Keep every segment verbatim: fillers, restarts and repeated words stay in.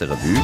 Presserevue.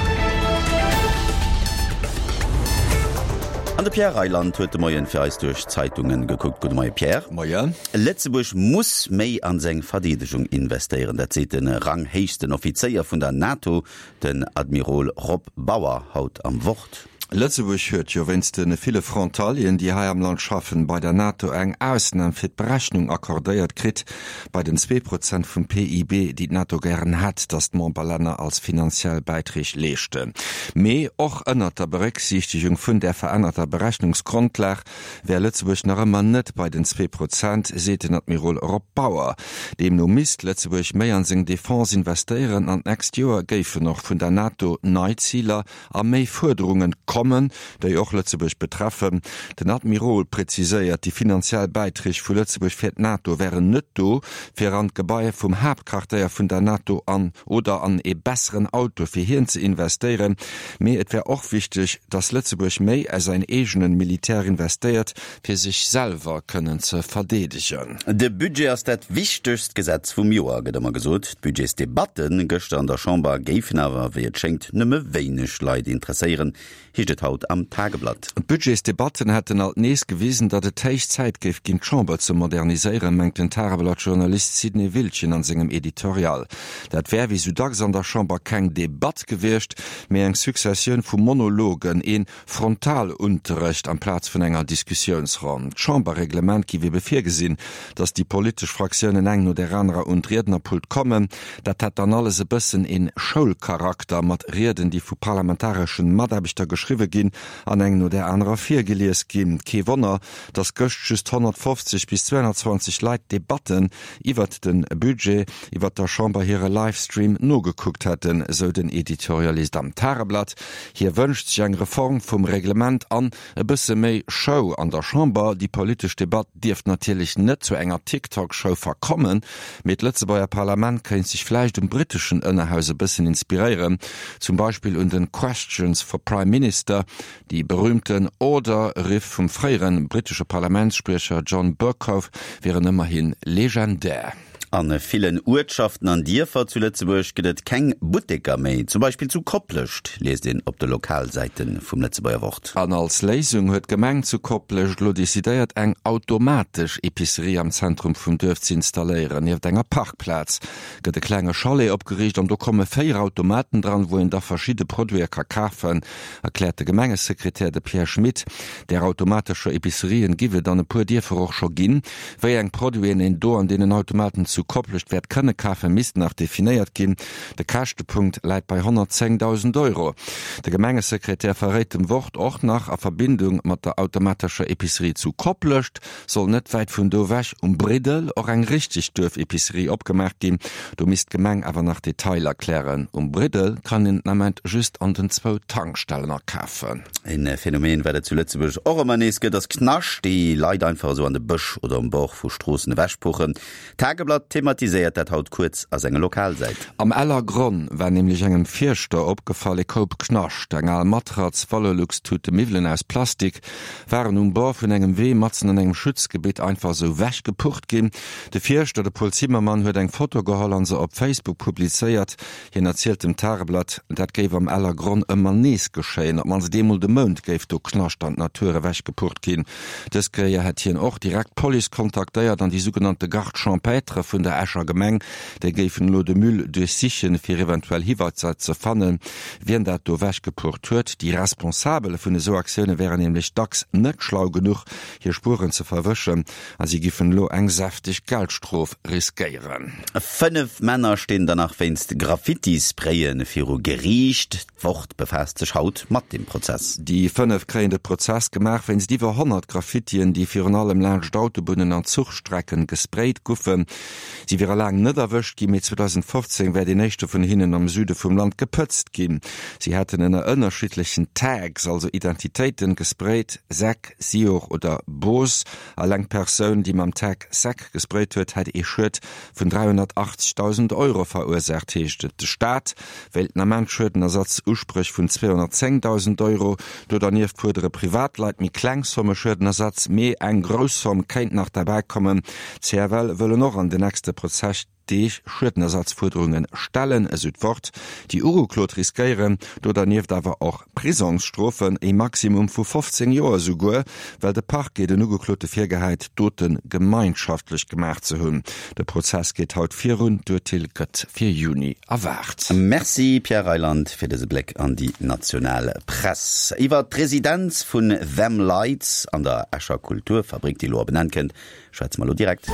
An de Pierre Reyland huet de Moien fir eis duerch d'Zeitungen gekuckt. Gudde Moie Pierre. Moien. Lëtzebuerg muss méi an seng Verdeedegung investéieren. Dat seet de ranghéichsten Offizéier vun der NATO, den Admirol Rob Bauer, haut am Wort. Lëtzebuerg huet jo wéinst de ville Frontalieren, déi hei am Land schaffen, bei der NATO eng Ausnam fir d'Berechnung accordéiert kritt bei den zwee Prozent vum P I B, déi d'NATO gären hätt, datt d'Memberlänner als finanziell Bäiträg leeschten. Mee och ënnert der Berécksiichtegung vun där verännerter Berechnungsgrondlag wär Lëtzebuerg nach ëmmer net bei den zwee Prozent, seet den Admirol Rob Bauer. Deemno misst Lëtzebuerg méi an seng Defense investéieren an d'nächst Joer géifen och vun der NATO nei Ziler a méi Fuerderungen kommen, déi och Lëtzebuerg betreffen. Den Admirol präziséiert, déi finanziell Bäiträg vu Lëtzebuerg fir d'NATO wären net do, fir an d'Gebai vum Haaptquartéier vun der NATO an oder an ee besseren Auto fir hien ze investéieren. Mee et wär och wichteg, datt Lëtzebuerg méi a säin eegenen Militär investéiert, fir sech selwer kënnen ze verdeedegen. De Budget ass dat wichtegst Gesetz vum Joer, gëtt ëmmer gesot. D'Budgetsdebatten gëschter an der Chamber géifen awer, wéi et schéngt, nëmme wéineg Leit interesséieren, heescht et haut am Tageblatt. D'Budgetsdebatten hätten alt nees gewisen, datt et héich Zäit géif ginn, d'Chamber ze moderniséieren, mengt den Tageblatt-Journalist Sidney Wiltgen an sengem Editorial. Dat wär wéi sou dacks an der Chamber keng Debatt gewiescht, mee eng Successioun vu Monologen, een Frontalunterrecht amplaz vun enger Diskussiounsronn. D'Chamberreglement giff ebe virgesinn, datt déi politesch Fraktiounen eng no där anerer un d'Riednerpult kommen. Dat hätt dann alles e bëssen een Schoulcharakter mat Rieden, déi vu parlamentareschen Mataarbechter geschriwwe ginn an eng no där anerer virgelies ginn. Kee Wonner, datt gëscht just honnertfofzeg bis zweihonnertzwanzeg Leit d'Debatten iwwert den Budget iwwert der Chamber hire Livestream nogekuckt hätten, sou den Editorialist am Tageblatt. Hie wënscht sech eng Reform vum Reglement an e bësse méi Show an der Chamber. Déi politesch Debatt dierft natierlech net zu enger TikTok-Show verkommen, mee d'Lëtzebuerger Parlament kéint sech vläicht um britteschen Ënnerhaus e bëssen inspiréieren, zum Beispill un den Questions for Prime Minister, déi berühmten Order-Riff vum fréieren brittesche Parlamentsspriecher John Bercow wieren ëmmerhin legendär. An villen Uertschaften an Dierfer zu Lëtzebuerg gëtt et keng Butteker méi. Zum Beispill zu Koplescht liest een op de Lokalsäite vum Lëtzebuerger Wort. An als Léisung huet d'Gemeng zu Koplescht elo decidéiert, eng automatesch Epicerie am Zentrum vum Duerf ze installéieren. Nieft enger Parkplaz gëtt e klenge Chalet opgeriicht an do komme véier Automaten dran, wou een da verschidde Produite ka kafen, erkläert de Gemengesekretär, de Pierre Schmit. Där automatescher Epicerien giff et an e puer Dierfer och scho ginn. Wéi eng Produiten een do an deenen Automaten zu Koplescht wäert kënne kafen, misst nach definéiert ginn. De Käschtepunkt läit bei honnertzéngdausend Euro. De Gemengesekretär verréit dem Wort och nach, a Verbindung mat der automatescher Epicerie zu Koplescht soll net wäit vun do ewech um Briddel och eng richteg Duerfepicerie opgemaach ginn. Do misst d'Gemeng awer nach Detailer klären. Um Briddel kann een den Ament just an den zwou Tankstellen akafen. En Phänomen, wat et zu Lëtzebuerg och ëmmer nees gëtt, ass Knascht, déi Leit einfach esou an de Bësch oder um Bord vu Stroossen ewechpuchen. D'Tageblatt thematiséiert dat haut kuerz a senger Lokalsäit. Am Ellergronn war nämlech engem Fierschter opgefall, e Koup Knascht, eng al Matratz, Valorlux-Tute, Miwwelen aus Plastik waren um Bord vun engem Wee matzen an engem Schutzgebitt einfach esou wechgepucht ginn. De Fierschter, de Paul Zimmermann, huet eng Foto geholl an se op Facebook publizéiert. Hien erzielt dem Tageblatt, dat géif am Ellergronn ëmmer nees geschéien, op d'mannst eemol de Mount géif do Knascht an d'Natur ewechgepucht ginn. Dës Kéier hätt hien och direkt d'Police kontaktéiert an déi sougenannte Garde champêtre vun der Escher Gemeng. Déi géifen elo de Müll duerchsichen, fir eventuell Hiweiser ze fannen, wien dat do ewechgepucht huet. Déi Responsabel vun esou Aktioune wären nämlech dacks net schlau genuch, hir Spueren ze verwëschen, a si giffen elo eng säfteg Geldstrof riskéieren. Fënnef Männer stinn dann nach wéinst Graffiti-Spraye viru Geriicht. D'Wort befaasst sech haut mat dem Prozess. Déi fënnef kréien de Prozess gemaach wéinst iwwer honnert Graffitien, déi virun allem laanscht Autobunnen an Zuchstrecken gesprayt goufen. Si wiere laang net erwëscht ginn, mee zweedausendfofzéng wär deen éischte vun hinnen am Süde vum Land gepëtzt ginn. Si hätten ënner ënnerschiddlechen Tags, also Identitéiten, gesprayt, Säck, Sior oder Bos. Alleng d'Persoun, déi mam Tag Säck gesprayt huet, hätt ee Schued vun dräihonnertachtzegdausend Euro verursaacht, heescht et. De Staat wéilt den Ament Schuedenersatz Uspréch vun zweehonnertzéngdausend Euro. Do dernieft fuerdere Privatleit méi kleng Somme Schuedenersatz, mee eng grouss Somm kéint nach derbäi kommen. D' C F L wëllen och an den nächste Prozess Deeg Schuedenersatzfuerderunge stellen, esou d'Wort. Déi Ugeklot riskéieren do dernieft awer och Prisongsstrofen, e Maximum vu fofzéng Joer esouguer, well de Parquet den Ugeklote virgehäit, d'Dote gemeinschaftlech gemaach ze hunn. De Prozess geet haut virun, d'Urteel gëtt fir Juni erwaart. Merci Pierre Reyland fir dëse Bléck an déi national Press. Iwwer d'Residenz vun Them Lights an der Escher Kulturfabrik, déi elo op en Enn kënnt, schwätze mer elo direkt.